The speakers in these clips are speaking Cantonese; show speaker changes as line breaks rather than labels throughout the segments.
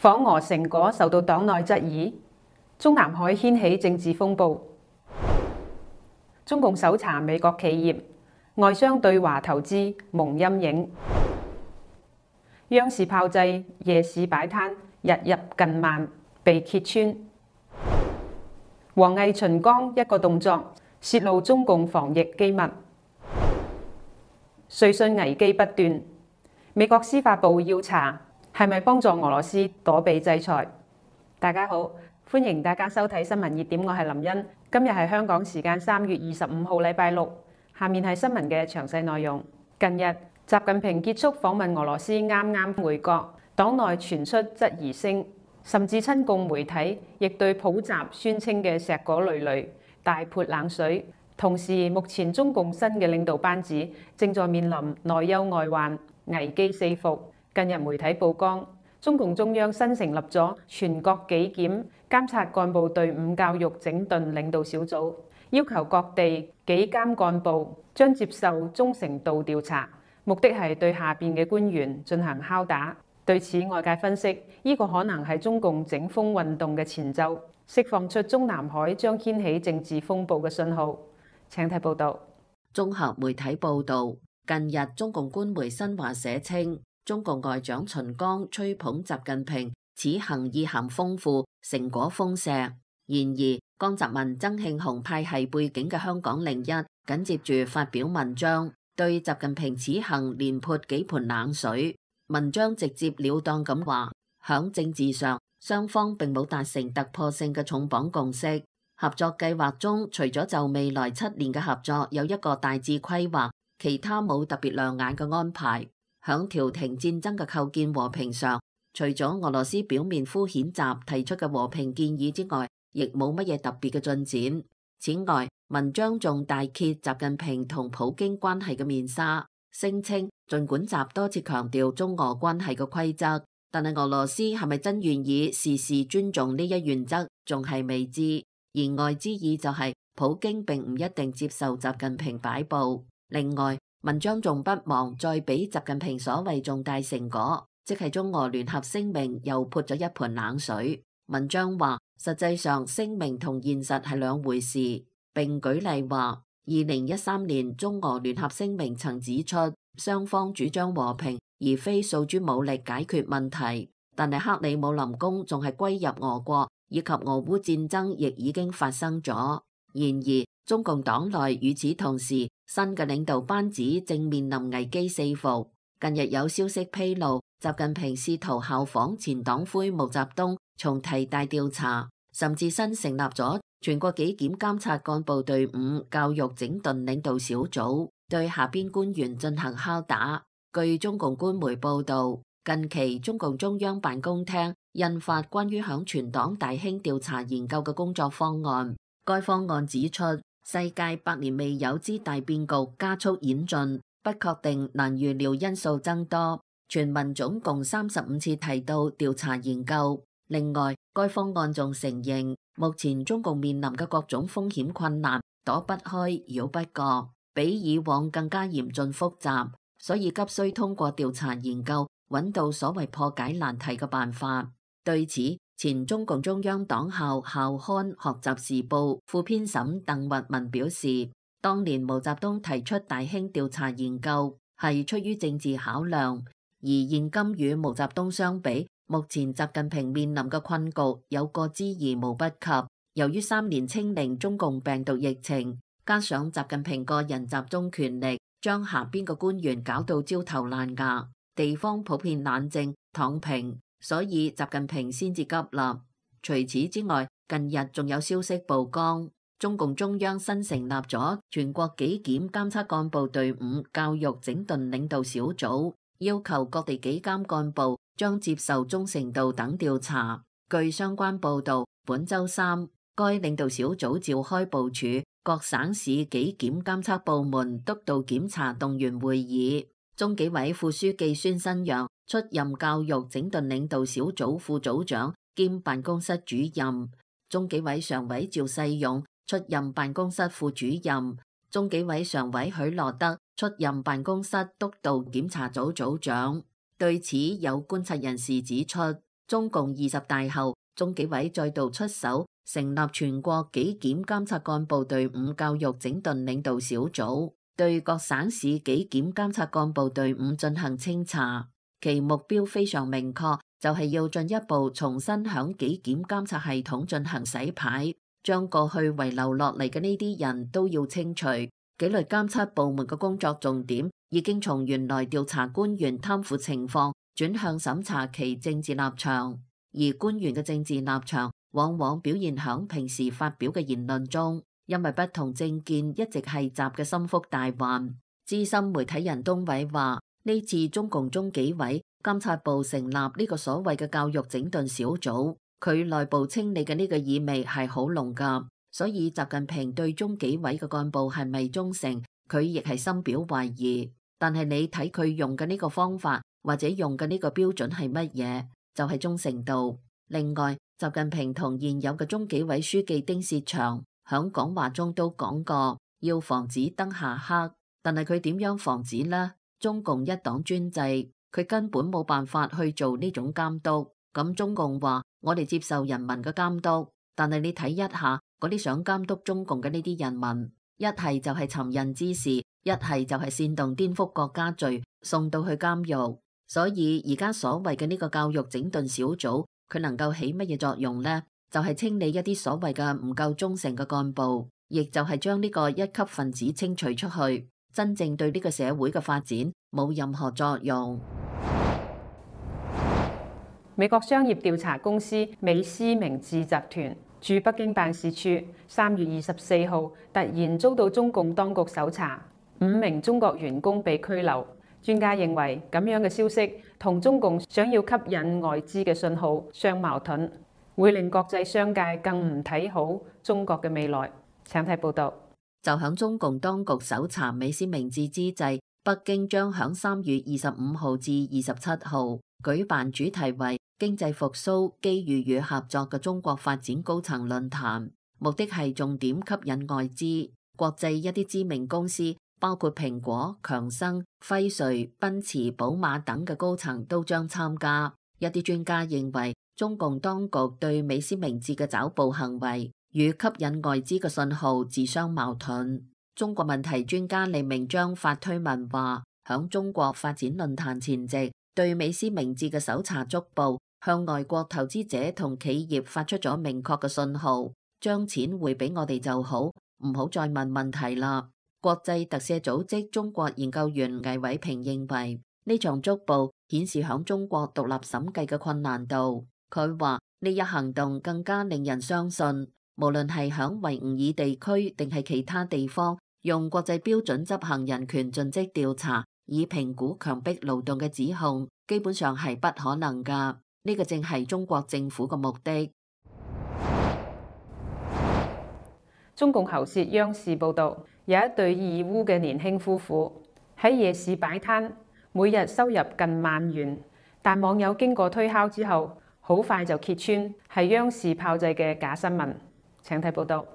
訪俄成果受到黨內質疑，中南海掀起政治風暴。中共搜查美國企業，外商對華投資蒙陰影。央視炮製夜市擺攤，日入近萬，被揭穿。王毅秦剛一個動作，泄露中共防疫機密。瑞信危機不斷，美國司法部要查係咪幫助俄羅斯躲避制裁。大家好，歡迎大家收睇新聞熱點，我係林茵。今日係香港時間3月25號禮拜六，下面係新聞嘅詳細內容。近日，習近平結束訪問俄羅斯，啱啱回國，黨內傳出質疑聲，甚至親共媒體亦對普習宣稱嘅碩果累累大潑冷水。同時，目前中共新嘅領導班子正在面臨內憂外患、危機四伏。近日媒體曝光，中共中央新成立咗全國紀檢監察幹部隊伍教育整頓領導小組，要求各地紀監幹部將接受忠誠度調查，目的係對下邊嘅官員進行拷打。對此，外界分析，呢個可能係中共整風運動嘅前奏，釋放出中南海將掀起政治風暴嘅信號。請睇報道。
綜合媒體報道，近日中共官媒新華社稱，中共外長秦剛吹捧習近平此行意涵豐富，成果豐碩。然而，江澤民、曾慶紅派系背景嘅香港01緊接住發表文章，對習近平此行連潑幾盆冷水。文章直接了當咁話，響政治上，雙方並冇達成突破性嘅重磅共識。合作計劃中，除咗就未來7年嘅合作有一個大致規劃，其他冇特別亮眼嘅安排。響調停戰爭嘅構建和平上，除咗俄羅斯表面敷衍習提出嘅和平建議之外，亦冇乜嘢特別嘅進展。此外，文章仲大揭習近平同普京關係嘅面紗，聲稱儘管習多次強調中俄關係嘅規則，但係俄羅斯係咪真願意事事尊重呢一原則，仲係未知。言外之意就係普京並唔一定接受習近平擺布。另外，文章仲不忘再俾習近平所謂重大成果，即係中俄聯合聲明又潑咗一盆冷水。文章話，實際上聲明同現實係兩回事，並舉例話2013年中俄聯合聲明曾指出，雙方主張和平而非訴諸武力解決問題，但係克里姆林宮仲係歸入俄國，以及俄烏戰爭亦已經發生咗。然而，中共黨內與此同時，新嘅領導班子正面臨危機四伏。近日有消息披露，習近平試圖效仿前黨魁毛澤東，重提大調查，甚至新成立咗全國紀檢監察幹部隊伍教育整頓領導小組，對下邊官員進行拷打。據中共官媒報導，近期中共中央辦公廳印發關於響全黨大興調查研究嘅工作方案。該方案指出，世界百年未有之大變局加速演進，不確定難預料因素增多。全文總共35次提到調查研究。另外，該方案仲承認，目前中共面臨嘅各種風險困難躲不開、繞不過，比以往更加嚴峻複雜，所以急需通過調查研究揾到所謂破解難題嘅辦法。對此，前中共中央黨校校刊《學習時報》副編審鄧聿文表示，當年毛澤東提出大興調查研究係出於政治考量，而現今與毛澤東相比，目前習近平面臨嘅困局有過之而無不及。由於3年清零中共病毒疫情，加上習近平個人集中權力，將下邊嘅官員搞到焦頭爛額，地方普遍冷靜躺平，所以習近平先至急立。除此之外，近日仲有消息曝光，中共中央新成立咗全國紀檢監察幹部隊伍教育整頓領導小組，要求各地紀監幹部將接受忠誠度等調查。據相關報導，本週三，該領導小組召開部署各省市紀檢監測部門督導檢查動員會議。中紀委副書記孫新陽出任教育整頓領導小組副組長兼辦公室主任，中紀委常委趙世勇出任辦公室副主任，中紀委常委許羅德出任辦公室督導檢查組組長。對此，有觀察人士指出，中共20大後，中紀委再度出手，成立全國紀檢監察幹部隊伍教育整頓領導小組，對各省市紀檢監察幹部隊伍進行清查。其目標非常明確，就係要進一步重新響紀檢監察系統進行洗牌，將過去遺留落嚟嘅呢啲人都要清除。紀律監測部門嘅工作重點已經從原來調查官員貪腐情況轉向審查其政治立場，而官員嘅政治立場往往表現響平時發表嘅言論中，因為不同政見一直係習嘅心腹大患。資深媒體人東偉話：呢次中共中紀委監察部成立呢個所謂嘅教育整頓小組，佢內部清理嘅呢個意味係好濃㗎。所以習近平對中紀委嘅幹部係咪忠誠，佢亦係深表懷疑。但係你睇佢用嘅呢個方法或者用嘅呢個標準係乜嘢，就係忠誠度。另外，習近平同現有嘅中紀委書記丁薛祥響講話中都講過，要防止燈下黑。但係佢點樣防止呢？中共一黨專制，佢根本冇辦法去做呢種監督。咁中共話我哋接受人民嘅監督，但係你睇一下嗰啲想監督中共嘅呢啲人民，一係就係尋釁滋事，一係就係煽動顛覆國家罪，送到去監獄。所以而家所謂嘅呢個教育整頓小組，佢能夠起乜嘢作用呢？就係清理一啲所謂嘅唔夠忠誠嘅幹部，亦就係將呢個一級分子清除出去，真正對呢個社會嘅發展冇任何作用。
美國商業調查公司美思明治集團駐北京辦事處3月24號突然遭到中共當局搜查，5名中國員工被拘留。專家認為咁樣嘅消息同中共想要吸引外資嘅信號相矛盾，會令國際商界更唔睇好中國嘅未來。請睇報道。
就響中共當局搜查美思明治之際，北京將響3月25號至27號舉辦主題為經濟復甦、機遇與合作嘅中國發展高層論壇，目的係重點吸引外資。國際一啲知名公司，包括蘋果、強生、輝瑞、奔馳、寶馬等嘅高層都將參加。一啲專家認為，中共當局對美思明治嘅抓捕行為與吸引外資嘅信號自相矛盾。中國問題專家李明章發推文話，響中國發展論壇前夕，對美思明治嘅搜查捉捕，向外國投資者同企業發出咗明確嘅信號，將錢匯俾我哋就好，唔好再問問題啦。國際特赦組織中國研究員魏偉平認為，呢場捉捕顯示響中國獨立審計嘅困難度。佢話呢一行動更加令人相信，無論係響維吾爾地區定係其他地方，用國際標準執行人權盡職調查，以評估強迫勞動嘅指控，基本上係不可能㗎。呢個正係中國政府嘅目的。
中共喉舌央視報導，有一對義烏嘅年輕夫婦喺夜市擺攤，每日收入近1萬元，但網友經過推敲之後，好快就揭穿係央視炮製嘅假新聞。請睇報導。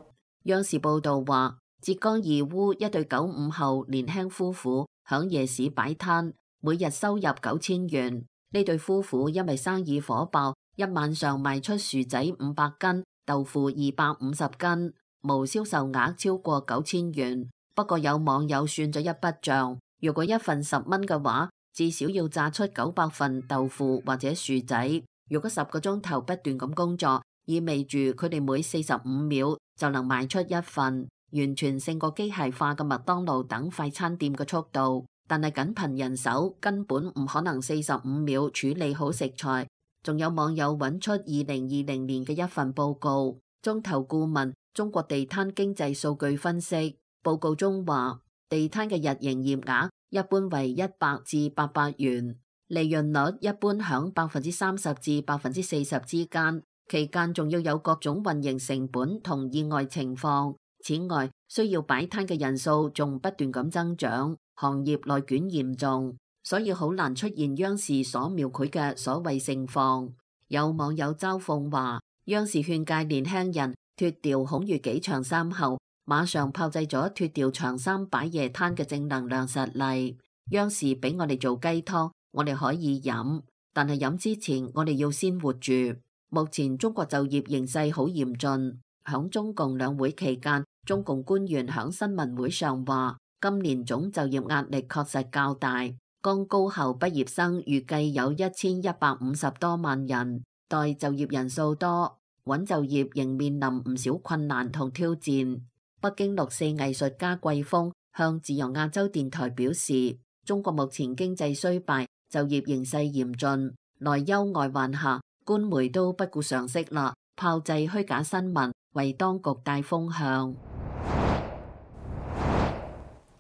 央視報導話，浙江義烏一對95後年輕夫婦響夜市擺攤，每日收入9000元。呢對夫婦因為生意火爆，一晚上賣出薯仔500斤、豆腐250斤，無銷售額超過9000元。不過有網友算咗一筆賬，如果一份10蚊嘅話，至少要榨出900份豆腐或者薯仔。如果10個鐘頭不斷咁工作，意味住佢哋每45秒就能賣出一份，完全勝過機械化嘅麥當勞等快餐店嘅速度。但係僅憑人手根本唔可能45秒處理好食材。仲有網友揾出2020年嘅一份報告，中投顧問中國地攤經濟數據分析報告中話，地攤嘅日營業額一般為100至800元，利潤率一般響30%至40%之間，期間仲要有各種運營成本同意外情況。此外，需要擺攤嘅人數仲不斷咁增長，行業內捲嚴重，所以好難出現央視所描繪嘅所謂盛況。有網友嘲諷話，央視勸誡年輕人脫掉孔乙己長衫後，馬上炮製咗脫掉長衫擺夜攤嘅正能量實例。央視俾我哋做雞湯，我哋可以飲，但係飲之前我哋要先活住。目前中國就業形勢好嚴峻。響中共兩會期間，中共官員響新聞會上話，今年總就業壓力確實較大。剛高校畢業生預計有1150多萬人，待就業人數多，穩就業仍面臨唔少困難同挑戰。北京6·4藝術家季風向自由亞洲電台表示，中國目前經濟衰敗，就業形勢嚴峻，內憂外患下，官媒都不顧常識啦，炮製虛假新聞，為當局帶風向。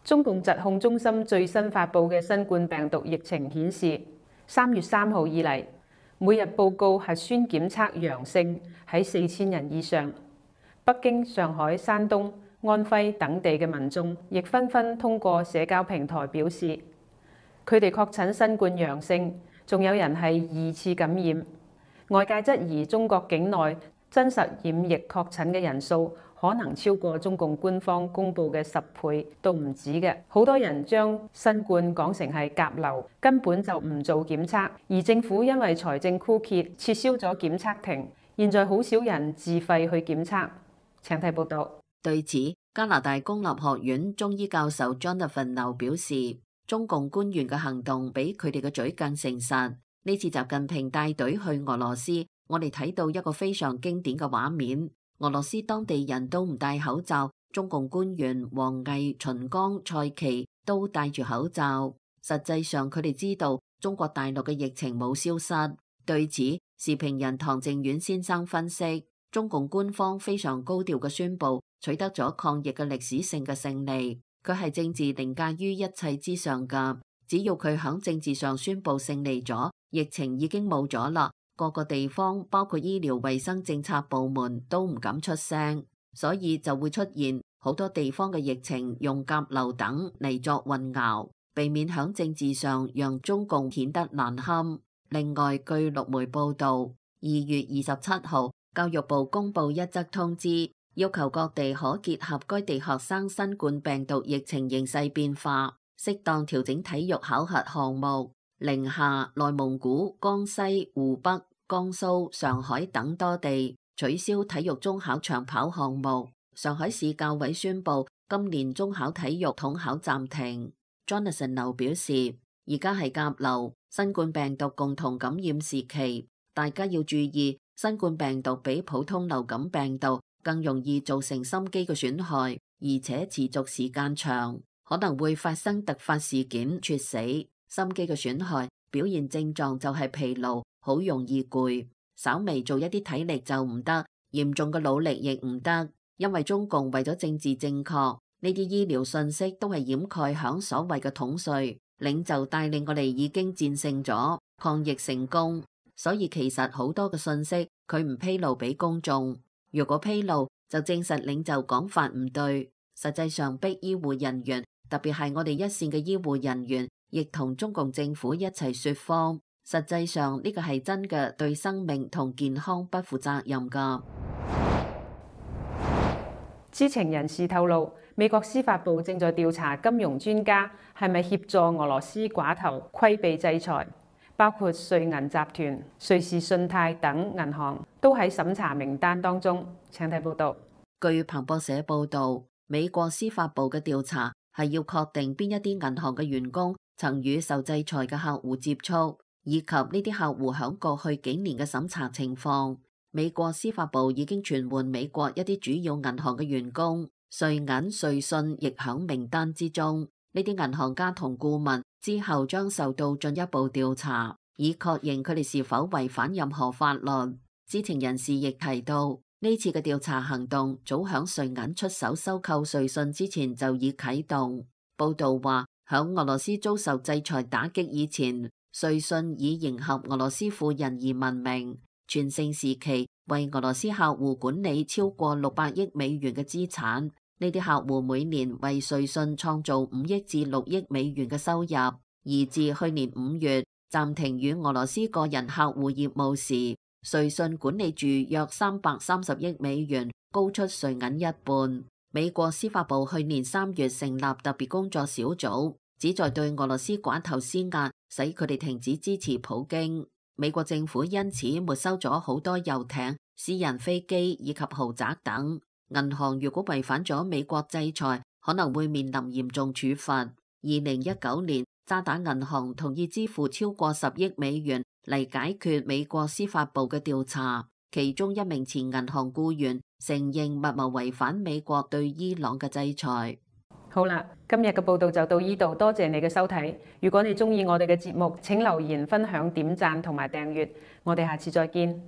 中共疾控中心最新發布嘅新冠病毒疫情顯示，3月3號以嚟，每日報告核酸檢測陽性喺4000人以上。北京、上海、山東、安徽等地嘅民眾亦紛紛通過社交平台表示，佢哋確診新冠陽性，仲有人係2次感染。外界質疑中國境內真實染疫確診嘅人數可能超過中共官方公佈嘅10倍都唔止嘅。好多人將新冠講成係甲流，根本就唔做檢測。而政府因為財政枯竭，撤銷咗檢測亭，現在好少人自費去檢測。請睇報道。
對此，加拿大公立學院中醫教授 Jonathan 劉表示，中共官員嘅行動比佢哋嘅嘴更誠實。呢次習近平帶隊去俄羅斯，我哋睇到一個非常經典嘅畫面。俄羅斯當地人都唔戴口罩，中共官員王毅、秦剛、蔡奇都戴住口罩。實際上佢哋知道中國大陸嘅疫情冇消失。對此，時評人唐靖遠先生分析，中共官方非常高調嘅宣布取得咗抗疫嘅歷史性嘅勝利，佢係政治凌駕於一切之上㗎。只要佢響政治上宣布勝利咗，疫情已經冇咗啦。各個地方包括醫療衛生政策部門都唔敢出聲，所以就會出現好多地方嘅疫情用甲流等嚟作混淆，避免響政治上讓中共顯得難堪。另外，據陸媒報道，2月27號，教育部公布一則通知，要求各地可結合該地學生新冠病毒疫情形勢變化，適當調整體育考核項目。寧夏、內蒙古、江西、湖北、江蘇、上海等多地取消體育中考長跑項目。上海市教委宣布今年中考體育統考暫停。Jonathan 劉表示，而家係甲流，新冠病毒共同感染時期，大家要注意，新冠病毒比普通流感病毒更容易造成心肌嘅損害，而且持續時間長，可能會發生突發事件猝死。心肌嘅損害表現症狀就係疲勞，好容易攰，稍微做一啲體力就唔得，嚴重嘅努力亦唔得。因為中共為咗政治正確，呢啲醫療信息都係掩蓋響所謂嘅統帥領袖帶領我哋已經戰勝咗，抗疫成功。所以其實好多嘅信息佢唔披露俾公眾，如果披露就證實領袖講法唔對。實際上逼醫護人員，特別係我哋一線嘅醫護人員，亦同中共政府一齊說謊。實際上呢個係真嘅對生命同健康不負責任㗎。
知情人士透露，美國司法部正在調查金融專家係咪協助俄羅斯寡頭規避制裁，包括瑞銀集團、瑞士信貸等銀行都喺審查名單當中。請睇報道。
據彭博社報導，美國司法部嘅調查係要確定邊一啲銀行嘅員工曾與受制裁嘅客戶接觸，以及呢啲客戶響過去幾年嘅審查情況。美國司法部已經傳喚美國一啲主要銀行嘅員工，瑞銀、瑞信亦響名單之中。呢啲銀行家同顧問之後將受到進一步調查，以確認佢哋是否違反任何法律。知情人士亦提到，呢次嘅調查行動早響瑞銀出手收購瑞信之前就已啟動。報道話，響俄羅斯遭受制裁打擊以前，瑞信以迎合俄羅斯富人而聞名，全盛時期為俄羅斯客戶管理超過600億美元嘅資產。呢啲客戶每年為瑞信創造5億至6億美元嘅收入。而自去年5月暫停與俄羅斯個人客戶業務時，瑞信管理住約330億美元，高出瑞銀一半。美國司法部去年3月成立特別工作小組，旨在對俄羅斯寡頭施壓，使佢哋停止支持普京。美國政府因此沒收咗好多遊艇、私人飛機以及豪宅等。銀行如果違反咗美國制裁，可能會面臨嚴重處罰。2019年，渣打銀行同意支付超過10億美元嚟解決美國司法部嘅調查，其中一名前銀行僱員承認密謀違反美國對伊朗嘅制裁。
好啦，今日嘅報道就到呢度，多謝你嘅收睇。如果你鍾意我哋嘅節目，請留言、分享、點讚同埋訂閱。我哋下次再見。